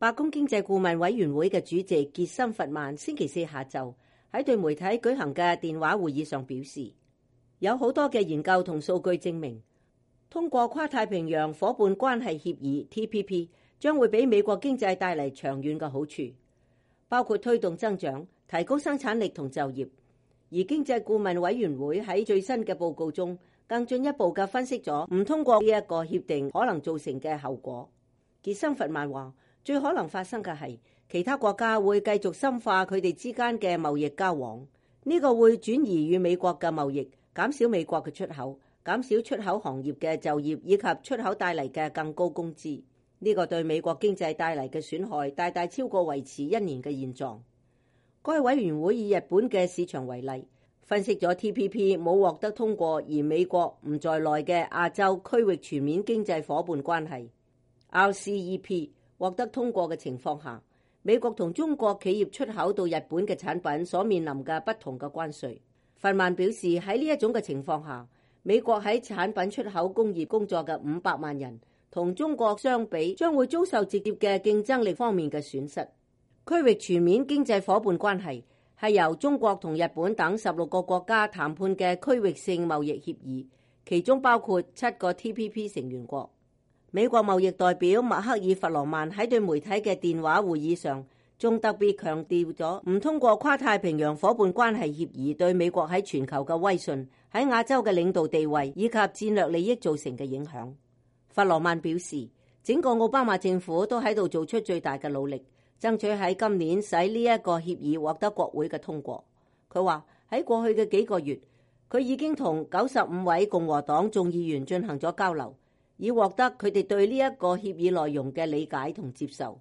白宮經濟顧問委員會嘅主席傑森弗曼星期四下晝喺對媒體舉行嘅電話會議上表示，有好多嘅研究同數據證明，通過跨太平洋夥伴關係協議 TPP 將會俾美國經濟帶嚟長遠嘅好處，包括推動增長、提高生產力同就業。而經濟顧問委員會喺最新嘅報告中，更進一步嘅分析咗唔通過呢一個協定可能造成嘅後果。傑森弗曼話，最可能發生嘅係其他國家會繼續深化佢哋之間嘅貿易交往，呢個會轉移與美國嘅貿易，減少美國嘅出口，減少出口行業嘅就業以及出口帶嚟嘅更高工資。呢個對美國經濟帶嚟嘅損害大大超過維持1年嘅現狀。該委員會以日本嘅市場為例，分析咗 TPP 冇獲得通過而美國唔在內嘅亞洲區域全面經濟夥伴關係 RCEP 獲得通過嘅情況下，美國同中國企業出口到日本嘅產品所面臨嘅不同嘅關稅。弗曼表示，喺呢一種嘅情況下，美國喺產品出口工業工作嘅500萬人同中國相比，將會遭受直接嘅競爭力方面嘅損失。區域全面經濟夥伴關係係由中國同日本等16個國家談判嘅區域性貿易協議，其中包括7個 TPP 成員國。美國貿易代表麥克爾弗羅曼喺對媒體嘅電話會議上，仲特別強調咗唔通過跨太平洋夥伴關係協議對美國喺全球嘅威信、喺亞洲嘅領導地位以及戰略利益造成嘅影響。弗羅曼表示，整個奧巴馬政府都喺度做出最大嘅努力，爭取喺今年使呢一個協議獲得國會嘅通過。佢話喺過去嘅幾個月，佢已經同95位共和黨眾議員進行咗交流，以獲得佢哋對呢一個協議內容嘅理解同接受。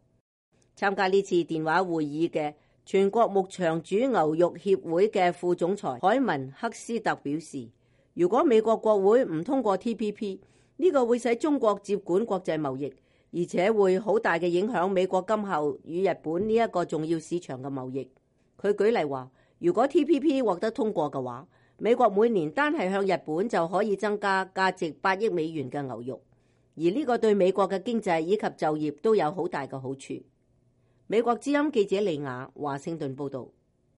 參加呢次電話會議嘅全國牧場主牛肉協會嘅副總裁海文克斯特表示，如果美國國會唔通過 TPP， 呢個會使中國接管國際貿易，而且會好大嘅影響美國今後與日本呢一個重要市場嘅貿易。佢舉例話，如果 TPP 獲得通過嘅話，美國每年單係向日本就可以增加價值8億美元嘅牛肉，而呢個對美國嘅經濟以及就業都有好大嘅好處。美國之音記者李雅華盛頓報道。